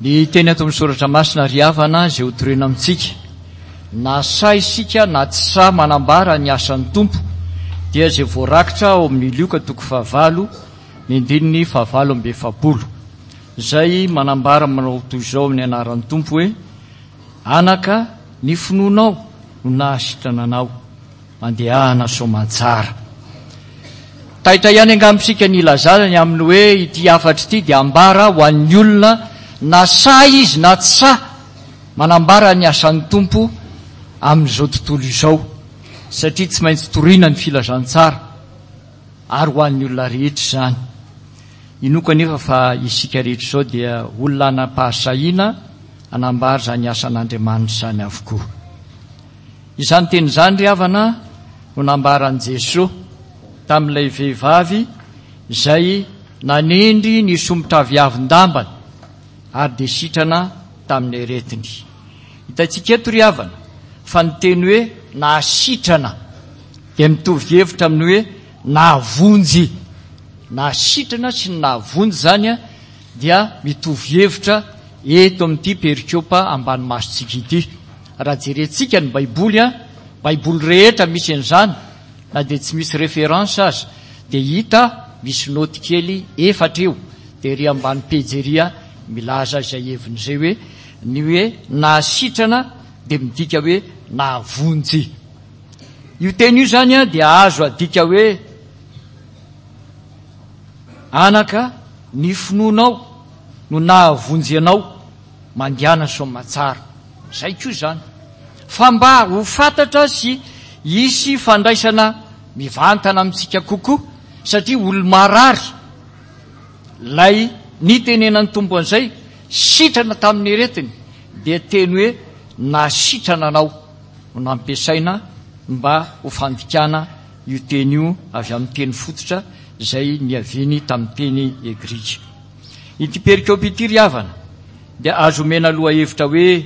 Ny teny ato amin'ny Soratra Masina ry havana izay ho torina amintsika, na sahy isika na tsy sahy manambara ny asan'ny Tompo, dia izay voarakitra ao amin'ny Lioka toko fahavalo, ny andininy fahavalo amby 40, izay manambara manao toy izao amin'ny anaran'ny Tompo hoe, Anaka, ny finoanao no nahasitrana anao. Mandehana soamantsara. Taitra ihany angamba isika ny hilazana ny amin'ny hoe ity hafatra ity dia ambara ho an'ny olona na sahy izy na tsy sahy manambara ny asan'ny Tompo amin'izao tontolo izao satria tsy maintsy torina ny filazantsara ary ho an'ny olona rehetra izany. Inoako anefa fa isika rehetra izao dia olona hanam-pahasahiana hanambara izany asan'Andriamanitra izany avokoa. Izany teny izany ry havana no nambaran'i Jesoa tamin'ilay vehivavy izay nanendry ny somotraviavin-dambany ary dia sitrana tamin'ny aretiny. Hitantsika eto ry havana fa ny teny hoe nahasitrana dia mitovy hevitra amin'ny hoe nahavonjy. Nahasitrana sy ny nahavonjy izany dia mitovy hevitra eto amin'ity perikopa ambany masontsika ity. Raha jerentsika ny baiboly an, baiboly rehetra misy an'izany na dia tsy misy référence aza dia hita misy note kely efatra eo dia ery ambany pejy ery milaza izay heviny izay hoe ny hoe nahasitrana dia midika hoe nahavonjy. Io teny io izany an dia azo adika hoe anaka ny finoanao no nahavonjy anao mandehana soamatsara. Izay koa izany. Fa mba ho fantatra sy hisy fandraisana mivantana amintsika kokoa, satria olo-marary ilay nitenenan'ny Tompo an'izay, sitrana tamin'ny aretiny, dia teny hoe nasitrana anao no nampiasaina mba ho fandikana io teny io avy amin'ny teny fototra izay niaviany tamin'ny teny grika. Ity perikopa ity ry havana dia azo omena lohahevitra hoe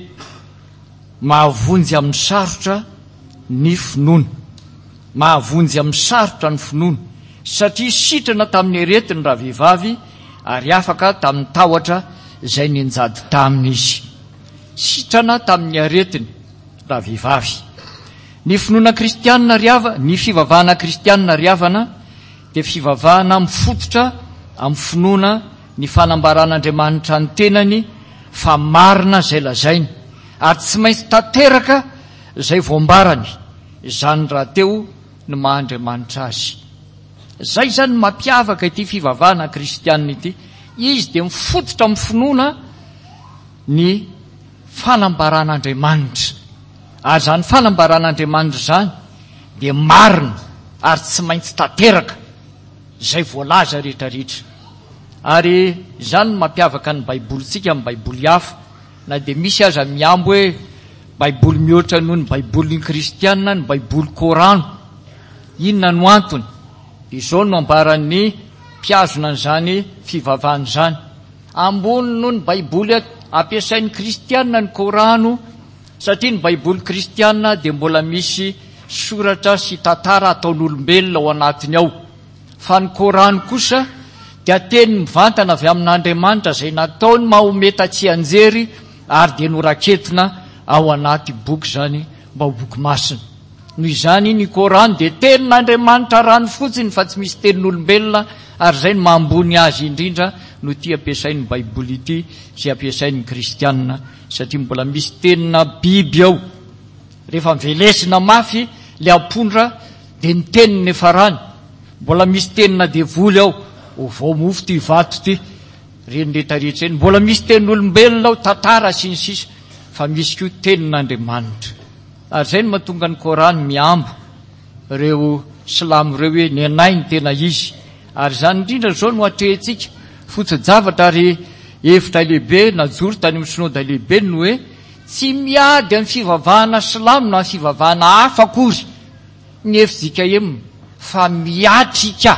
mahavonjy amin'ny sarotra ny finoana. Mahavonjy amin'ny sarotra ny finoana satria sitrana tamin'ny aretiny ravehivavy ary afaka tamin'ny tahotra izay nianjady taminy izy. Sitrana tamin'ny aretiny ravehivavy. Ny finoana kristianina ry havana, ny fivavahana kristianina ry havana dia fivavahana mifototra amin'ny finoana ny fanambaran'Andriamanitra ny tenany fa marina izay lazainy ary tsy maintsy tanteraka izay voambarany, izany rahateo no maha Andriamanitra Azy. Izay izany no mampiavaka ity fivavahana kristianina ity, izy dia mifototra amin'ny finoana ny fanambaran'Andriamanitra ary izany fanambaran'Andriamanitra izany dia marina ary tsy maintsy tanteraka izay voalaza rehetra rehetra. Ary izany no mampiavaka ny Baibolintsika amin'ny Baiboly hafa, na dia misy aza mihambo hoe Baiboly mihoatra noho ny Baibolin'ny Kristiana ny Baiboly Korano. Inona no antony? Dia izao no ambaran'ny mpihazona an'izany fivavahana izany, Ambony noho ny Baiboly ampiasain'ny Kristiana ny Korano, Satria ny Baiboly kristiana dia mbola misy soratra sy tantara ataon'olombelona ao anatiny ao, fa ny Kor'any kosa dia teny mivantana avy amin'Andriamanitra izay nataon'i Mahometa tsianjery ary dia noraketina ao anaty boky izany mba ho boky masina. Noho izany, ny Kor'any dia tenin'Andriamanitra ranofotsiny fa tsy misy tenin'olombelona ary izay no maha ambony azy indrindra no ity ampiasain'ny Baiboly ity izay ampiasain'ny kristiana. Satria mbola misy tenina biby ao. Rehefa velesina mafy le ampondra dia ny teniny efa rany. Mbola misy tenina devoly ao. Ovao mofo ty vato ty. Reny retraretra reny. Mbola misy tenin'olombelona ao, tantara sy ny sisa. Fa misy koa tenin'Andriamanitra. Ary izay no mahatonga ny Korany mihambo ireo silamo ireo hoe ny anay no tena izy. Ary izany indrindra izao no atrehintsika. Foto-javatra ary hevitra lehibe najoro tany amin'ny Synoda lehibe ny hoe tsy miady amin'ny fivavahana silamo na fivavahana hafa akory ny fjkm fa miatrika.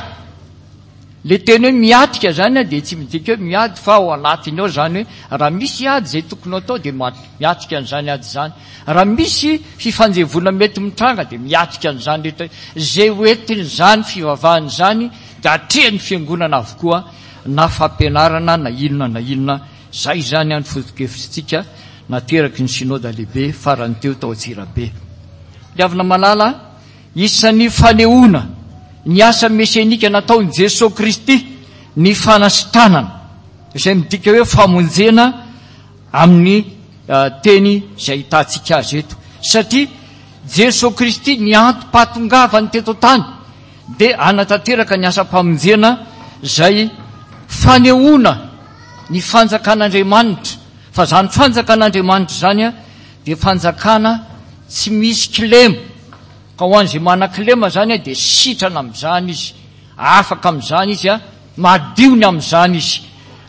Le teny hoe miatrika zany dia tsy midika hoe miady fa ao anatiny ao zany hoe raha misy ady izay tokony ho atao dia miatrika an'izany ady izany. Raha misy fifanjevoana mety mitranga dia miatrika an'izany rehetra izay ho entin'izany fivavahana izany dia atrehan'ny fiangonana avokoa na fampianarana na inona na inona. Izay izany ny foto-kevitritsika nateraky ny Synoda lehibe farany teo tao Antsirabe. Ry havana malala, isan'ny fanehoana ny asa mesianika nataon'i Jesoa Kristy ny fanasitranana, izay midika hoe famonjena amin'ny teny izay ahitantsika azy eto. Satria Jesoa Kristy ny antom-pahatongavany teto an-tany dia hanatanteraka ny asam-pamonjena izay fanehoana ny fanjakan'Andriamanitra, fa izany fanjakan'Andriamanitra izany dia fanjakana tsy misy kilema, ka ho an'izay manan-kilema izany dia sitrana amin'izany izy, afaka amin'izany izy, madio ny amin'izany izy.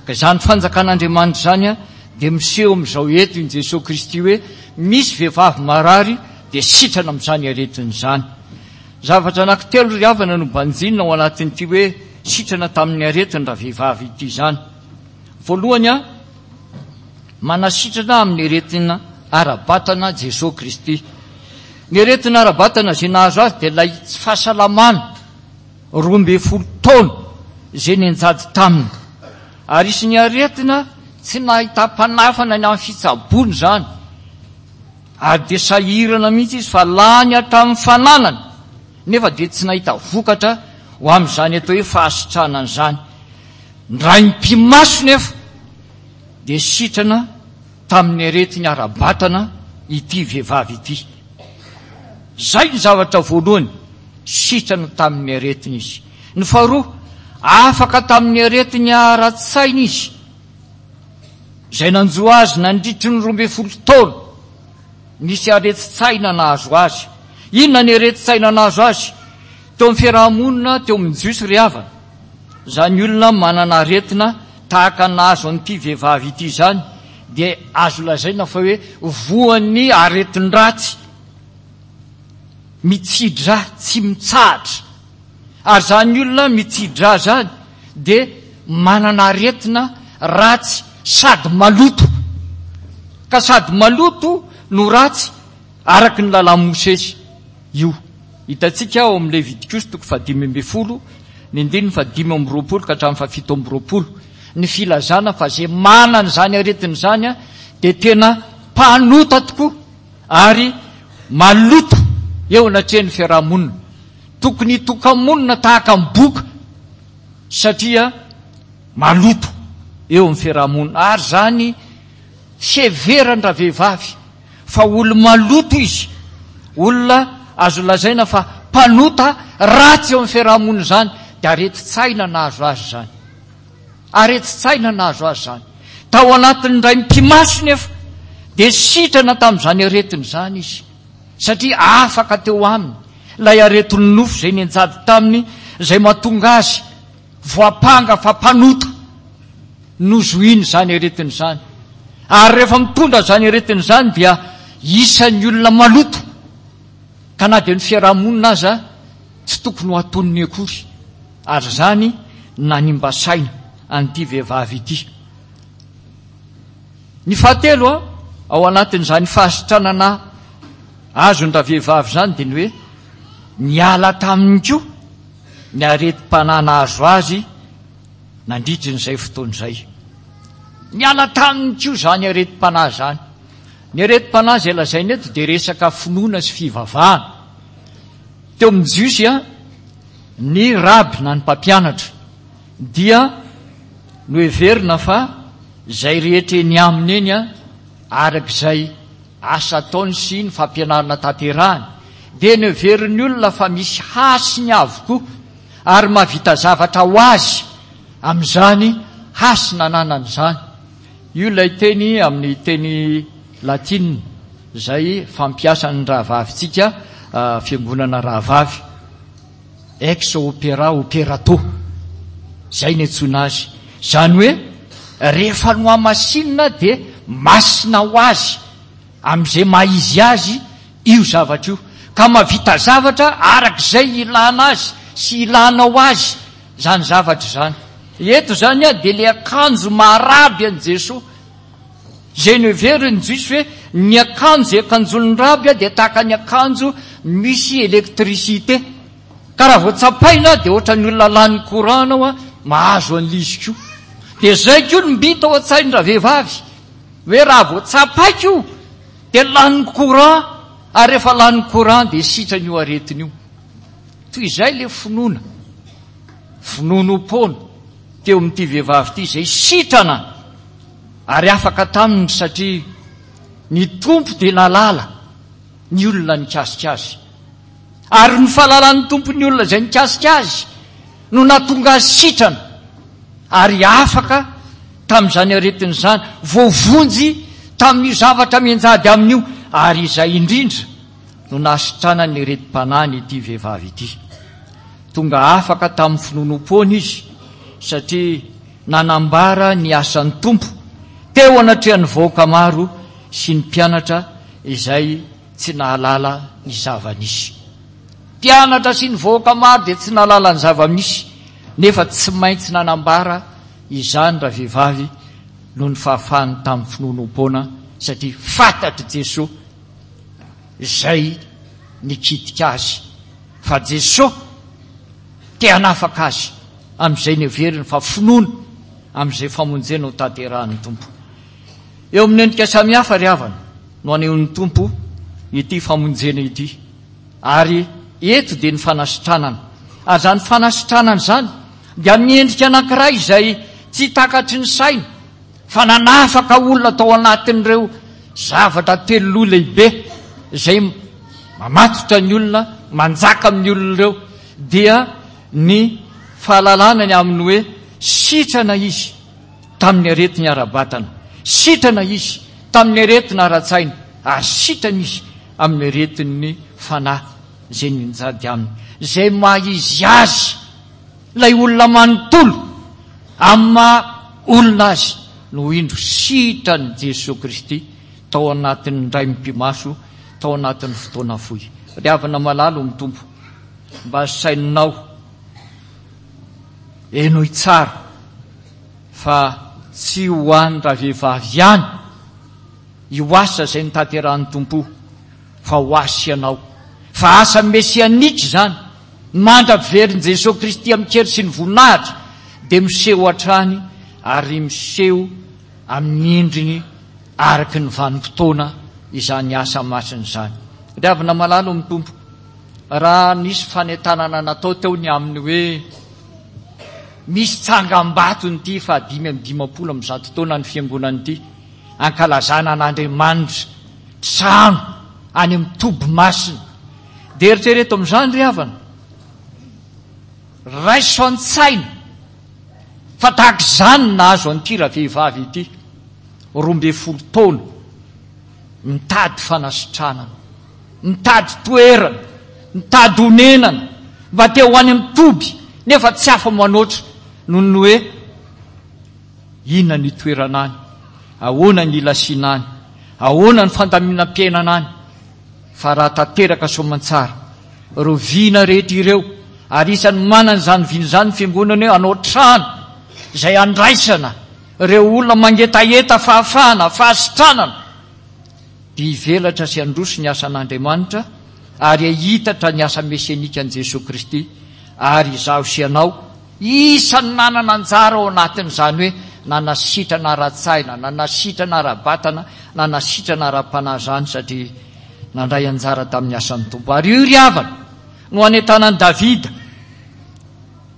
Ka izany fanjakan'Andriamanitra izany dia miseho amin'izao eto i Jesoa Kristy hoe misy vehivavy marary dia sitrana amin'izany aretina izany. Zavatra anankitelo ry havana no banjinina ao anatin'ity hoe sitrana tamin'ny aretiny ravehivavy ity izany. Voalohany, manasitrana amin'ny aretina ara-batana Jesoa Kristy. Ny aretina ara-batana izay nahazo azy dia ilay tsy fahasalamana 12 taona izay nianjady taminy. Ary isan'ny aretina tsy nahitam-panafana ny amin'ny fitsaboana izany. Ary dia sahirana mihitsy izy fa lany hatramin'ny fananany nefa dia tsy nahita vokatra ho amin'izany atao hoe fahasitranana izany. Ny raim-pimaso nefa dia sitrana tamin'ny aretiny ara-batana ity vehivavy ity. Izay ny zavatra voalohany, sitrana tamin'ny aretiny izy. Ny faharoa, afaka tamin'ny aretiny ara-tsaina izy. Izay nanjo azy nandritry ny 12 taona. Nisy aretin-tsaina nahazo azy. Inona ny aretin-tsaina nahazo azy? Teo amin'ny fiaraha-monina, teo amin'ny Jiosy ry havana, izany olona manana aretina tahaka ny nahazo an'ity vehivavy ity izany dia azo lazaina fa hoe voan'ny aretin-dratsy mitsidra tsy mitsahatra. Ary izany olona mitsidra izany dia manana aretina ratsy sady maloto. Ka sady maloto no ratsy araka ny lalàn'i Mosesy io. Hitantsika ao amin'ny Levitikosy toko faha-15, ny andininy faha-25 ka hatramin'ny faha-27, ny filazana fa izay manana izany aretina izany dia tena mpanota tokoa ary maloto eo anatrehan'ny fiaraha-monina. Tokony hitoka-monina tahaka ny boka satria maloto eo amin'ny fiaraha-monina. Ary izany fiheveran-dravehivavy fa olo-maloto izy, olona azo lazaina fa mpanota ratsy eo amin'ny fiaraha-monina izany, dia aretin-tsaina nahazo azy izany. Aretin-tsaina nahazo azy izany. Tao anatin'ny indray mipi-maso nefa dia sitrana tamin'izany aretina izany izy. Satria afaka teo aminy ilay aretin'ny nofo izay nianjady taminy, izay mahatonga azy voampanga fa mpanota. Nozohiny izany aretina izany. Ary rehefa mitondra izany aretina izany dia isan'ny olona maloto, ka na dia ny fiaraha-monina aza tsy tokony ho atoniny akory. Ary izany nanimba saina an'ity vehivavy ity. Ny fahatelo ao anatin'izany fahasitranana azon-dravehivavy izany dia ny hoe niala taminy koa ny aretim-panahy nahazo azy nandritry n'izay fotoana izay. Niala taminy koa izany aretim-panahy izany. Ny aretim-panahy izay lazaina eto dia resaka finoana sy fivavahana. Teo amin'ny Jiosy, ny raby na ny mpampianatra dia noheverina fa izay rehetra eny aminy eny, araka izay asa ataony sy ny fampianarana tanterahany, dia noheverin'ny olona fa misy hasiny avokoa ary mahavita zavatra ho azy amin'izany hasina ananany izany. Io ilay teny amin'ny teny latina izay fampiasan'ny rahavavintsika, fiangonana rahavavy. Ex opera operato, izay no iantsoana azy. Izany hoe rehefa nohamasinina dia masina ho azy amin'izay maha izy azy io zavatra io. Ka mahavita zavatra araka izay ilana azy sy ilanao azy izany zavatra izany. Eto izany dia ilay akanjo maha raby an'i Jesoa. Izay noheverin'ny Jiosy hoe ny akanjo izay akanjoan'ny raby dia tahaka ny akanjo misy électricité. Ka raha vao tsapaina dia ohatran'ny olona lany courant anao mahazo an'ilay izy koa. Dia izay koa no mby tao an-tsain-dravehivavy, hoe raha vao tsapaiko io dia lanin'ny courant, ary rehefa lanin'ny courant dia sitrana io aretina io. Toy izay ilay finoana, finoanoam-poana teo amin'ity vehivavy ity izay sitrana ary afaka taminy satria ny Tompo dia nahalala ny olona nikasika azy. Ary ny fahalalan'ny Tompo ny olona izay nikasika azy no nahatonga azy sitrana ary afaka tamin'izany aretina izany, voavonjy tamin'io zavatra mianjady aminy io, ary izay indrindra no nahasitranany ny aretim-panahiny ity vehivavy ity. Tonga afaka tamin'ny finoanoam-poana izy satria nanambara ny asan'ny Tompo teo anatrehan'ny vahoaka maro sy ny mpianatra izay tsy nahalala ny zava-nisy. Mpianatra sy ny vahoaka maro dia tsy nahalala ny zava-misy, nefa tsy maintsy nanambara izany ravehivavy noho ny fahafahany tamin'ny finoanoam-poana, satria fantatr'i Jesoa izay nikitika azy, fa Jesoa te hanafaka azy amin'izay neveriny fa finoana amin'izay famonjena ho tanterahin'ny Tompo. Eo amin'ny endrika samihafa ry havana no anehoan'ny Tompo ity famonjena ity. Ary eto dia ny fanasitranana. Ary izany fanasitranana izany dia amin'ny endrika anankiray izay tsy takatry ny saina fa nanafaka olona tao anatin'ireo zavatra teloloha lehibe izay mamatotra ny olona, manjaka amin'ny olona ireo, dia ny fahalalana ny amin'ny hoe sitrana izy tamin'ny aretiny ara-batana, sitrana izy tamin'ny aretina ara-tsaina, ary sitrana izy amin'ny aretin'ny fanahy izay nianjady aminy. Izay maha izy azy, ilay olona manontolo, amin'ny maha olona azy, no indro sitran'i Jesoa Kristy tao anatin'ny indray mipi-maso, tao anatin'ny fotoana fohy. Ry havana malala ao amin'ny Tompo, mba saininao, henoy tsara fa tsy ho an'ny ravehivavy ihany io asa izay notanterahin'ny Tompo fa ho ahy sy ianao. Fa asa mesianika izany, mandra-piverin'i Jesoa Kristy amin-kery sy ny voninahitra dia miseho hatrany ary miseho amin'ny endriny araka ny vanim-potoana izany asa masina izany. Ry havana malala ao amin'ny Tompo, raha nisy fanentanana natao teo ny amin'ny hoe misy tsangambato ity faha 155 taona ny fiangonana ity, ankalazana an'Andriamanitra, trano any amin'ny toby masina. Dia eritrereto amin'izany ry havana, raiso an-tsaina fa tahaka izany no nahazo an'ity ravehivavy ity, 12 taona, mitady fanasitranana, mitady toerana, mitady honenana, mba te ho any amin'ny toby, nefa tsy afa-manoatra noho ny hoe Inona ny itoerana any? Ahoana ny ilasiana any? Ahoana ny fandaminam-piainana any? Fa raha tanteraka soamantsara ireo vina rehetra ireo, ary isan'ny manana izany vina izany ny Fiangonana hoe hanao trano izay handraisana ireo olona mangetaheta fahafahana, fahasitranana, dia hivelatra sy handroso ny asan'Andriamanitra ary hahitatra ny asa mesianikan'i Jesoa Kristy, ary izaho sy ianao Isan'ny nanana anjara ao anatin'izany hoe nanasitrana ara-tsaina, nanasitrana ara-batana, nanasitrana ara-panahy izany satria nandray anjara tamin'ny asan'ny Tompo. Ary io ry havana no anentanan'i Davida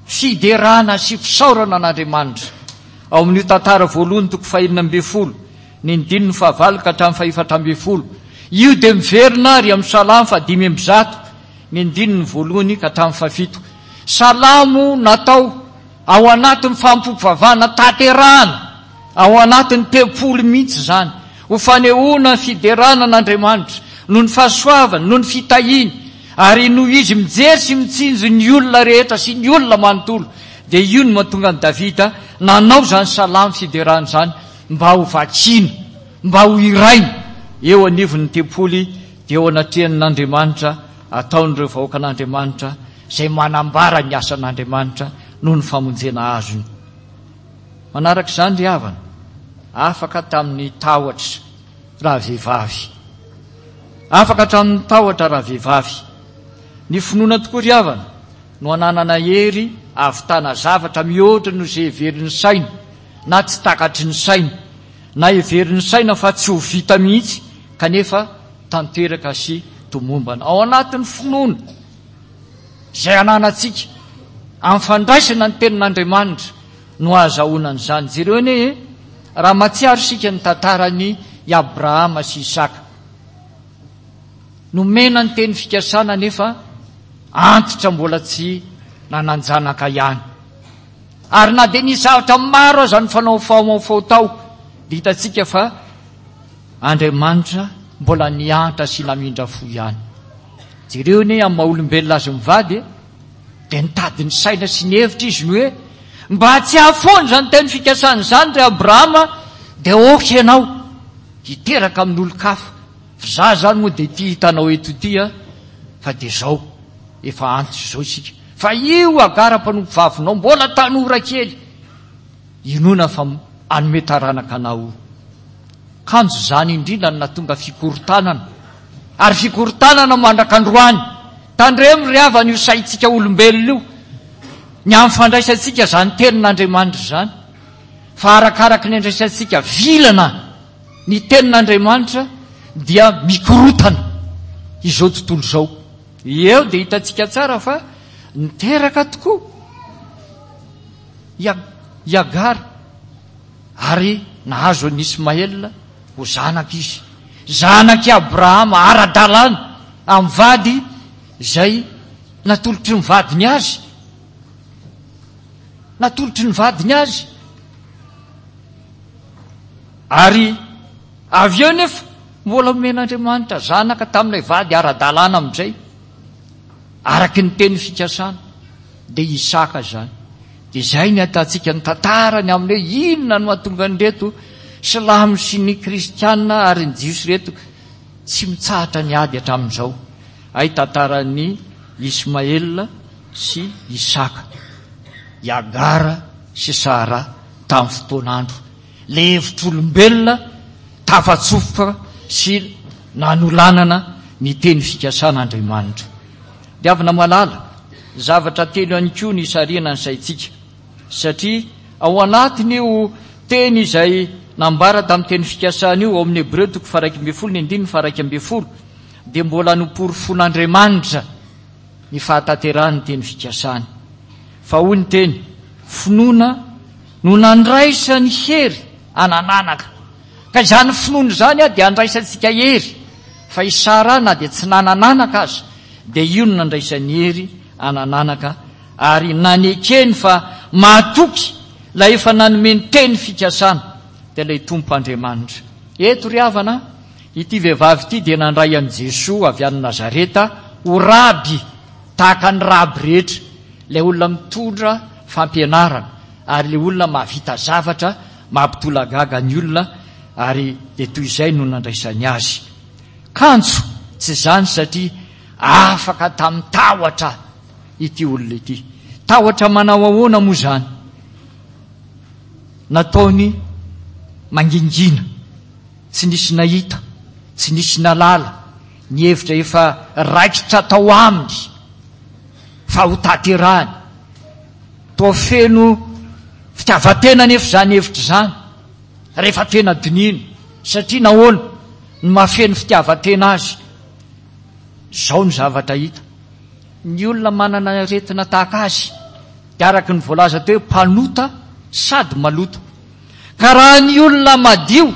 fiderana sy fisaorana an'Andriamanitra. Ao amin'io tantara voalohany toko fahenina ambin'ny folo, ny andininy fahavalo ka hatramin'ny fahefatra ambin'ny folo. Io dia miverina ary amin'ny Salamo faha-105, ny andininy voalohany ka hatramin'ny fahafito. Salamo natao ao anatin'ny fanompoam-pivavahana tanterahana ao anatin'ny tempoly mihitsy izany, ho fanehoana ny fiderana an'Andriamanitra noho ny fahasoavany, noho ny fitahiany, ary noho Izy mijery sy mitsinjo ny olona rehetra sy ny olona manontolo. Dia io no mahatonga an'i Davida nanao izany salamo fiderana izany mba ho vakiana, mba ho hiraina eo anivon'ny tempoly dia eo anatrehan'Andriamanitra ataon'ireo vahoakan'Andriamanitra izay manambara ny asan'Andriamanitra noho ny famonjena azony. Manaraka izany ry havana, afaka tamin'ny tahotra rahavehivavy. Afaka hatramin'ny tahotra rahavehivavy. Ny finoana tokoa ry havana no ananana hery ahavitana zavatra mihoatra noho izay heverin'ny saina. na tsy takatry ny saina, na heverin'ny saina fa tsy ho vita mihitsy kanefa tanteraka sy tomombana. Ao anatin'ny finoana izay ananantsika amin'ny fandraisana ny tenin'Andriamanitra no ahazahoana an'izany. Jereo anie e, raha mahatsiaro isika ny tantaran'i Abrahama sy Isaka. Nomena ny teny fikasana nefa antitra mbola tsy nanan-janaka ihany. Ary na dia nisy zavatra maro aza nifanaofaofao tao, dia hitantsika fa Andriamanitra mbola niantra sy namindra fo ihany. Jereo anie amin'ny maha olombelona azy mivady e, dia nitady ny saina sy ny hevitra izy ny hoe mba tsy hahafoana izany teny fikasana izany ry Abrahama, dia ok ianao hiteraka amin'olon-kafa. Fa za zany moa dia ity hitanao eto ity a, fa dia zao, efa antitra izao isika. Fa io Hagara mpanompo vavinao mbola tanora kely, inoana fa hanome taranaka anao io. Kanjo izany indrindra no nahatonga fikorontanana, ary fikorontanana mandrak'androany. Tandremo ry havana io saintsika olombelona io, ny amin'ny fandraisantsika izany tenin'Andriamanitra izany, fa arakaraky ny andraisantsika vilana, Ny tenin'Andriamanitra dia mikorotana izao tontolo izao. Eo dia hitantsika tsara fa niteraka tokoa i Hagara ary nahazo an'i Ismaela ho zanaka izy. Zanak'i Abrahama ara-dalàna amin'ny vady izay natolotry ny vadiny azy. Natolotry ny vadiny azy. Ary avy eo nefa mbola omen'Andriamanitra zanaka tamin'ilay vady ara-dalàna amin'izay, araka ny teny fikasana, dia Isaka izany. Dia izay ny ahitantsika ny tantarany amin'ny hoe inona no mahatonga an'ireto silamo sy ny kristiana ary ny jiosy ireto tsy mitsahatra ny ady hatramin'izao. Hay tantaran'i Ismaela sy Isaka, i Agara sy Sara tamin'ny fotoan'andro. Ilay hevitr'olombelona tafatsofoka sy nanolanana ny teny fikasan'Andriamanitra. Diavina malala, zavatra telo ihany koa no isarihana ny saintsika, satria ao anatin'io teny izay nambara tamin'ny teny fikasana io, ao amin'ny Hebreo toko faha-11 ny andininy faha-11, dia mbola noporofoin'Andriamanitra ny fahatanterahan'ny teny fikasany. Fa hoy ny teny, finoana no nandraisany hery anananaka. Ka izany finoana izany dia andraisantsika hery, fa i Sara na dia tsy nanananaka aza dia io no nandraisany hery anananaka ary nanekeny fa mahatoky ilay efa nanome ny teny fikasana dia ilay Tompo Andriamanitra. Eto ry havana, ity vehivavy ity dia nandray an'i Jesoa avy any Nazareta ho raby tahaka ny raby rehetra, ilay olona mitondra fampianarana ary ilay olona mahavita zavatra mampitolagaga ny olona ary dia toy izay no nandraisany azy. Kanjo tsy izany satria afaka tamin'ny tahotra ity olona ity. Tahotra manao ahoana moa izany? Nataony mangingina, tsy nisy nahita, tsy nisy nalala, ny hevitra efa raikitra tao aminy fa ho tanterahany. Toa feno fitiavan-tena anefa izany hevitra izany rehefa tena dinihina. Satria nahoana no mahafeno fitiavan-tena azy? Izao ny zavatra hita, ny olona manana aretina tahaka azy dia araka ny voalaza teo hoe mpanota sady maloto. Ka raha ny olona madio,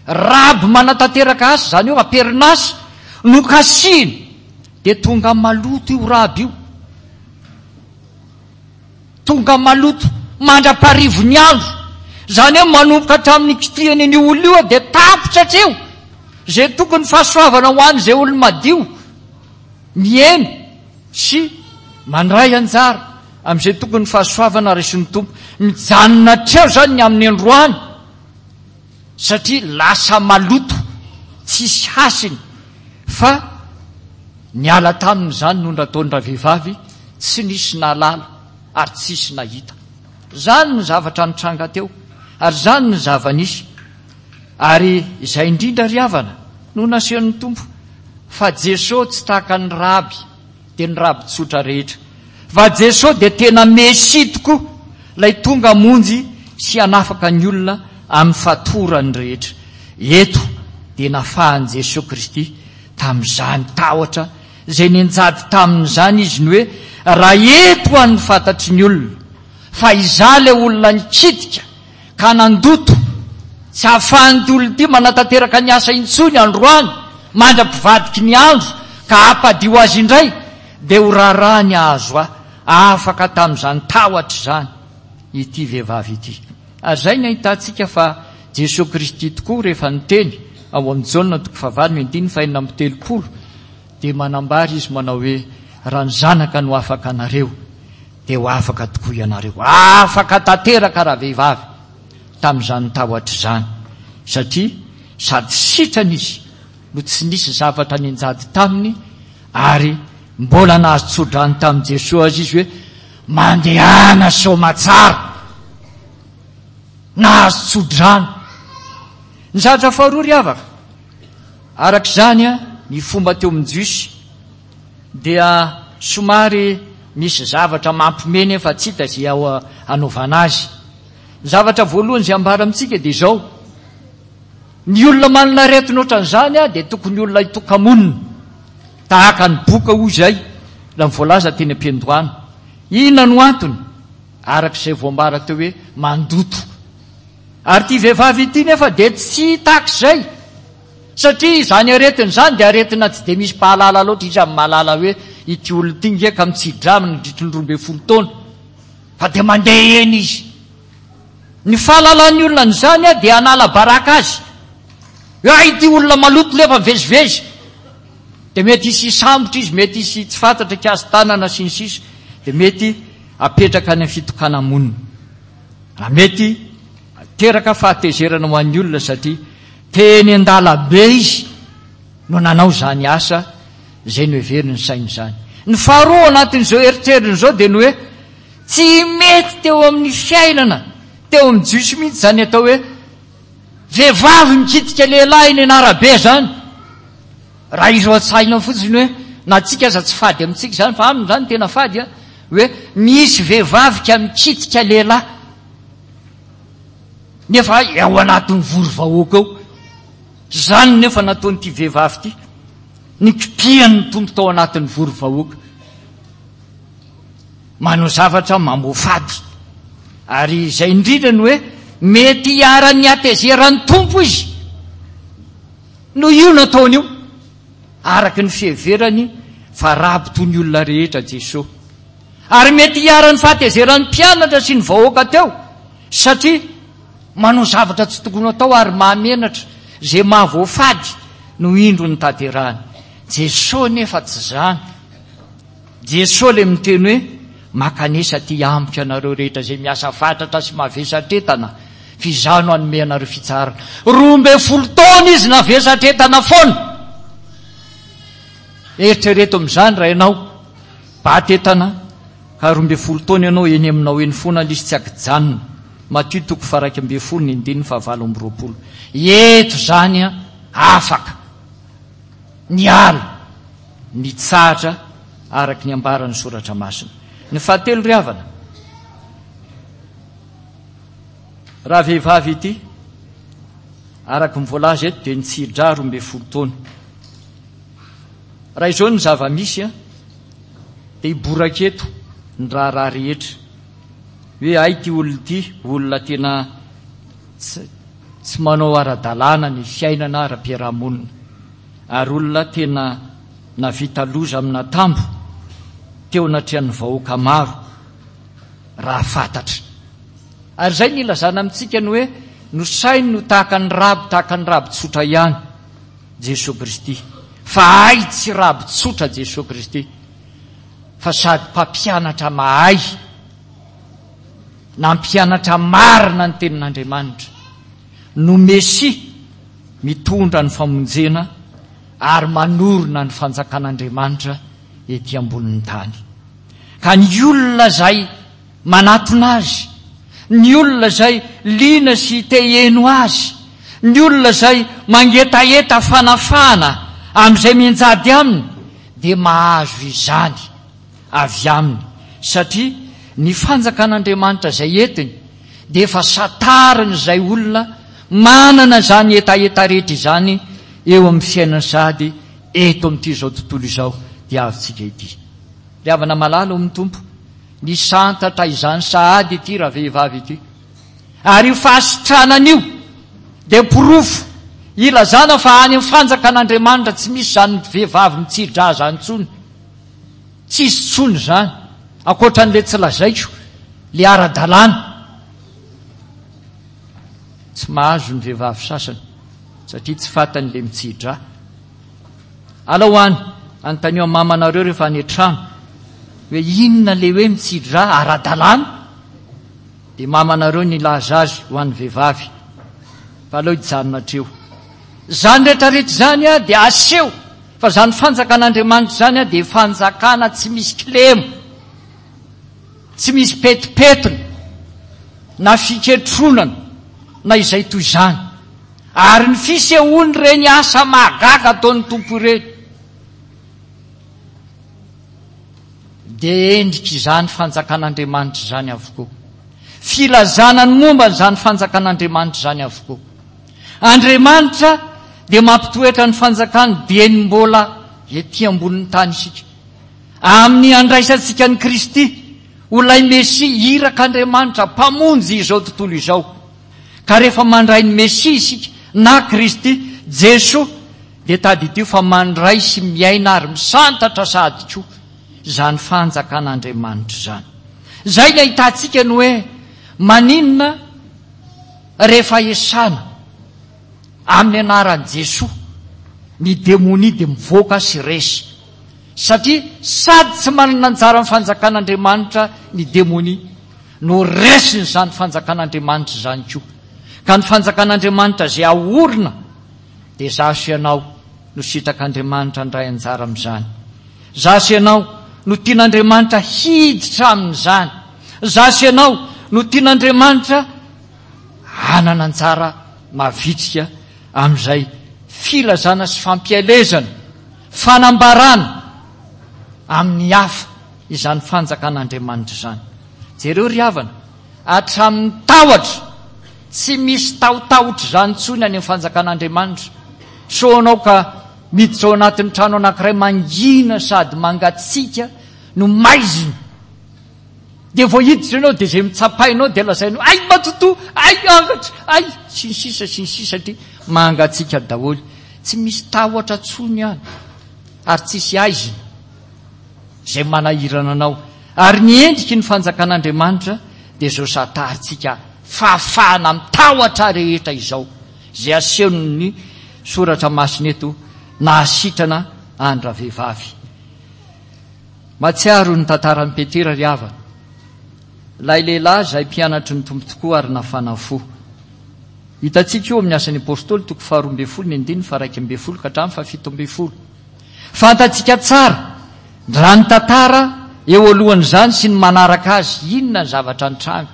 raby manatanteraka asa, izany hoe am-perinasa, no kasihina dia tonga maloto io raby io. Tonga maloto mandra-parivo ny andro. Izany hoe manomboka hatramin'ny nikitihany an'io olona io dia tapitra hatreo izay tokony fahasoavana ho an'izay olona madio miheno sy mandray anjara amin'izay tokony fahasoavana raisin'ny Tompo. Mijanona hatreo izany ny amin'ny androany satria lasa maloto tsisy hasiny fa niala taminy izany no nataon-dravehivavy tsy nisy nahalala ary tsisy nahita. Izany ny zavatra nitranga teo ary izany ny zava-nisy. Ary izay indrindra ry havana no nasehon'ny Tompo fa Jesoa tsy tahaka ny raby dia ny raby tsotra rehetra fa Jesoa dia tena Mesia tokoa ilay tonga hamonjy sy hanafaka ny olona amin'ny fatorany rehetra. Eto dia nafahan'i Jesoa Kristy tamin'izany tahotra izay nianjady taminy izany izy ny hoe raha eto ho an'ny fantatry ny olona fa izaho ilay olona nikitika ka nandoto tsy ahafahan'ity olona ity manatanteraka ny asa intsony androany mandra-pivadiky ny andro ka hampadio azy indray dia ho raharaha ny hahazo ahy afaka tamin'izany tahotra izany ity vehivavy ity. Ary izay ny ahitantsika fa Jesoa Kristy tokoa rehefa niteny ao amin'ny Jaona toko fahavalo ny andininy fahenina amby 30 dia manambara izy manao hoe raha ny zanaka no afaka anareo dia ho afaka tokoa ianareo. Afaka tanteraka ravehivavy tamin'izany tahotra izany satria sady sitrana izy no tsy nisy zavatra nianjady taminy ary mbola nahazo tsodrano tamin'i Jesoa aza izy hoe mandehana soamatsara. Nahazo tsodrano. Ny zavatra faharoa ry havana, araka izany ny fomba teo amin'ny Jiosy dia somary misy zavatra mampime nefa tsy hita izay hanaovana azy. Ny zavatra voalohany izay ambara amintsika dia izao, ny olona manana aretina ohatran'izany dia tokony olona hitoka-monina, tahaka ny boka hoy izay raha ny voalaza teny am-piandohana. Inona no antony? Araka izay voambara teo hoe mandoto. Ary ity vehivavy ity nefa dia tsy tahaka izay. Satria izany aretina izany dia aretina tsy dia misy mpahalala loatra, iza no mahalala hoe ity olona ity nge ka mitsidra nandritry ny 12 taona fa dia mandeha eny izy. Ny fahalalan'ny olona an'izany dia hanala baraka azy. Hoe hay ity olona maloto nefa mivezivezy. Dia mety hisy hisambotra izy, mety hisy tsy fantatra hikasi-tanana sy ny sisa. Dia mety hapetraka any amin'ny fitokana-monina. Raha mety hiteraka fahatezerana ho an'ny olona satria teny an-dalambe izy no nanao izany asa izay noheverin'ny sainy izany. Ny faharoa ao anatin'izao eritreriny izao dia ny hoe tsy mety teo amin'ny fiainana teo amin'ny Jiosy mihitsy izany atao hoe vehivavy mikitika lehilahy eny an'arabe izany. Raha izy ao an-tsaina fotsiny hoe na antsika aza tsy fady amintsika izany fa aminy izany tena fady an, hoe misy vehivavy ka mikitika lehilahy nefa ao anatin'ny vory vahoaka ao. Izany nefa nataon'ity vehivavy ity, nikipihan'ny Tompo tao anatin'ny vory vahoaka. Manao zavatra mamoafady. Ary izay indrindra no hoe mety hiharan'ny hatezeran'ny Tompo izy. Noho io nataony io, araka ny fiheverany fa raby toy ny olona rehetra Jesoa. Ary mety hiharan'ny fahatezeran'ny mpianatra sy ny vahoaka teo, satria manao zavatra tsy tokony hatao ary mahamenatra izay mahavoafady no indro notanterahany. Jesoa nefa tsy izany. Jesoa ilay miteny hoe, Makanesa aty amiko ianareo rehetra izay miasa fatratra sy mavesatretana, fa Izaho no hanome anareo fitsaharana. 12 taona izy navesatretana foana. Eritrereto amin'izany raha ianao baty entana ka 12 taona ianao eny aminao eny foana ilay izy tsy ankijanona. Matio toko faha 11 ny andininy faha 28. Eto izany afaka niala. Nitsahatra araka ny ambaran'ny Soratra Masina. Ny fahatelo ry havana, raha vehivavy ity, araka ny voalaza eto dia nitsidra 12 taona. Raha izao ny zava-misy dia hiboraka eto ny raharaha rehetra. Hoe hay ity olona ity, olona tena tsy manao ara-dalàna ny fiainana ara-piarahamonina. Ary olona tena navita loza amin'atambo teo anatrehan'ny vahoaka maro raha fantatra. Ary izay no ilazana amintsika ny hoe nosainy ho tahaka ny raby tahaka ny raby tsotra ihany Jesoa Kristy. Fa hay tsy raby tsotra Jesoa Kristy fa sady mpampianatra mahay nampianatra marina ny tenin'Andriamanitra no Mesia mitondra ny famonjena ary manorina ny fanjakan'Andriamanitra ety ambonin'ny tany. Ka ny olona izay manatona Azy, ny olona izay liana sy te hiheno Azy, ny olona izay mangetaheta fanafahana amin'izay mianjady aminy dia mahazo izany avy aminy satria ny fanjakan'Andriamanitra izay entiny. dia efa santarin'izay olona manana izany hetaheta rehetra izany eo amin'ny fiainany sahady eto amin'ity izao tontolo izao diavintsika ity. Ry havana malala ao amin'ny Tompo, nisantatra izany sahady ity ravehivavy ity. Ary io fahasitranana io dia porofo ilazana fa any amin'ny fanjakan'Andriamanitra tsy misy izany vehivavy mitsidra izany intsony. Tsisy intsony izany, ankoatra an'ilay tsy lazaiko, ilay ara-dalàna. Tsy mahazo ny vehivavy sasany satria tsy fantany ilay mitsidra. Alao any, anontanio amin'ny mamanareo rehefa any an-trano hoe inona ilay hoe mitsidra ara-dalàna? Dia mamanareo nilaza azy ho an'ny vehivavy fa aleo hijanona hatreo. Izany rehetra rehetra izany dia aseho fa izany fanjakan'Andriamanitra izany dia fanjakana tsy misy kilema, tsy misy petipetiny na fiketronana na izay toy izany. Ary ny fisehoan'ireny asa mahagaga ataon'ny Tompo ireny dia endrik'izany fanjakan'Andriamanitra izany avokoa. Filazana ny momba an'izany fanjakan'Andriamanitra izany avokoa. Andriamanitra dia mampitoetra ny fanjakany dieny mbola ety ambonin'ny tany isika. Amin'ny andraisantsika an'i Kristy ho ilay Mesia irak'Andriamanitra mpamonjy izao tontolo izao. Ka rehefa mandray ny Mesia isika na Kristy, Jesoa, dia tadidio fa mandray sy miaina ary misantatra sahady koa izany fanjakan'Andriamanitra izany. Izay ny ahitantsika ny hoe maninona rehefa esana amin'ny anaran'i Jesoa ny demonia dia mivoaka sy resy. Satria sady tsy manana anjara amin'ny fanjakan'Andriamanitra ny demonia no resin'izany fanjakan'Andriamanitra izany koa. Ka ny fanjakan'Andriamanitra izay aorina dia izaho sy ianao no sitrak'Andriamanitra handray anjara amin'izany. Izaho sy ianao no tian'Andriamanitra hiditra amin'izany. Izaho sy ianao no tian'Andriamanitra hanana anjara mavitrika amin'izay filazana sy fampielezana, fanambarana amin'ny hafa izany fanjakan'Andriamanitra izany. Jereo ry havana, hatramin'ny tahotra, tsy misy tahotahotra izany intsony any amin'ny fanjakan'Andriamanitra. Sao ianao ka miditra ao anatin'ny trano anankiray mangina sady mangatsiaka no maizina. Dia vao hiditra ianao dia izay mitsapainao dia lazainao, ay matotoa, ay angatra, ay, sy ny sisa sy ny sisa satria mangatsiaka daholo. Tsy misy tahotra intsony any ary tsisy aizina izay manahirana anao. Ary ny endriky ny fanjakan'Andriamanitra dia izao santarintsika fahafahana amin'ny tahotra rehetra izao, izay asehon'ny Soratra Masina eto nahasitrana an-dravehivavy. Mahatsiaro ny tantaran'i Petera ry havana, ilay lehilahy izay mpianatry ny Tompo tokoa ary nafana fo. Hitantsika io amin'ny Asan'ny Apostoly toko faharoa ambin'ny folo ny andininy faha-11 ka hatramin'ny faha-17. Fantatsika tsara raha ny tantara eo alohan'izany sy ny manaraka azy, inona ny zavatra nitranga.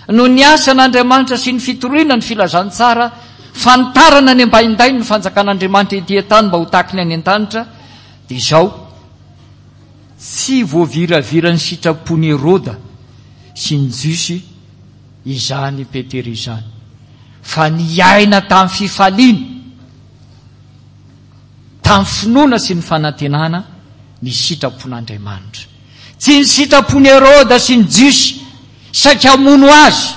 Noho ny asan'Andriamanitra sy ny fitoriana ny filazantsara, fanitarana ny ambaindainy ny fanjakan'Andriamanitra ety an-tany mba ho takiny any an-danitra, dia izao, tsy voaviraviran'ny sitrapon'i Heroda sy ny Jiosy izany Petera izany, fa niaina tamin'ny fifaliana, tamin'ny finoana sy ny fanantenana ny sitrapon'Andriamanitra. Tsy ny sitrapon'i Heroda sy ny Jiosy saika hamono azy,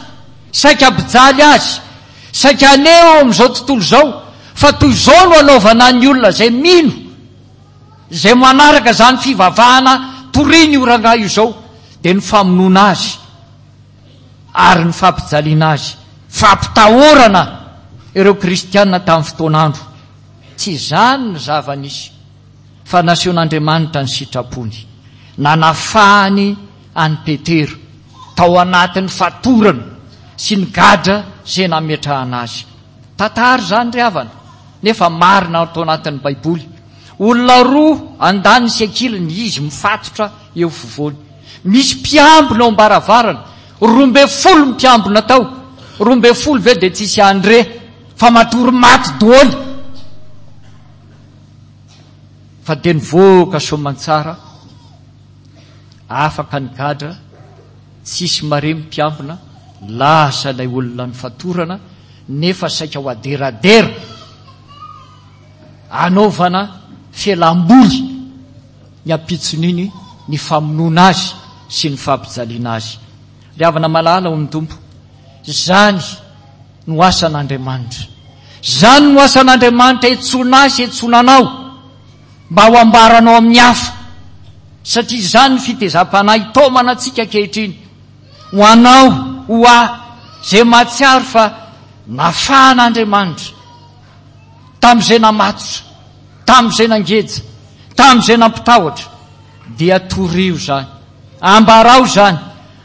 saika hampijaly azy, saika haneho eo amin'izao tontolo izao fa toy izao no hanaovana ny olona izay mino, izay manaraka izany fivavahana torian'io rangahy io izao, dia ny famonoana azy ary ny fampijaliana azy, fampitahorana ireo kristiana tamin'ny fotoan'andro. Tsy izany ny zava-nisy, fa nasehon'Andriamanitra ny sitrapony, nanafahany an'i Petera tao anatin'ny fatorana sy ny gadra izay nametrahana azy. Tantara izany ry havana, nefa marina ato anatin'ny Baiboly. Olona roa andaniny sy ankilany, izy mifatotra eo afovoany. Misy mpiambina ao am-baravarana, 12 ny mpiambina tao, 12 ve dia tsisy handre fa matory maty doly. Fa dia nivoaka soamantsara, afaka ny gadra, tsisy maremy mpiambina. Lasa ilay olona nifatorana nefa saika ho aderadera anaovana fialam-boly ny ampitson'iny ny famonoana azy sy ny fampijaliana azy. Ry havana malala ao amin'ny Tompo, izany no asan'Andriamanitra. Izany no asan'Andriamanitra iantsoana ahy sy iantsoana anao mba ho ambaranao amin'ny hafa. Satria izany ny fitezam-panahy itaomana antsika ankehitriny. Ho anao, ho ahy, izay mahatsiaro fa nafahan'Andriamanitra tamin'izay namatotra, tamin'izay nangeja, tamin'izay nampitahotra, dia torio izany, ambarao izany,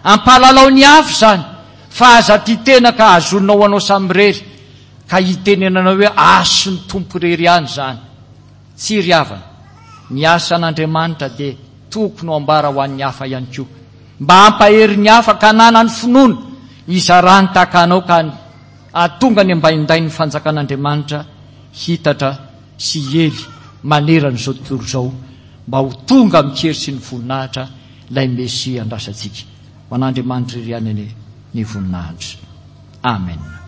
ampahalalao ny hafa izany, fa aza tia tena ka hazoninao ho anao samirery, ka hitenenanao hoe asin'ny Tompo irery ihany izany. Tsia ry havana, ny asan'Andriamanitra dia tokony ho ambara ho an'ny hafa ihany koa, mba hampahery ny hafa ka hananany finoana hizarany tahaka anao ka hahatonga ny ambaindain'ny fanjakan'Andriamanitra hitatra sy hiely manerana izao tontolo izao mba ho tonga amin-kery sy ny voninahitra ilay Mesia andrasantsika. Ho an'Andriamanitra irery ihany anie ny voninahitra. Amen.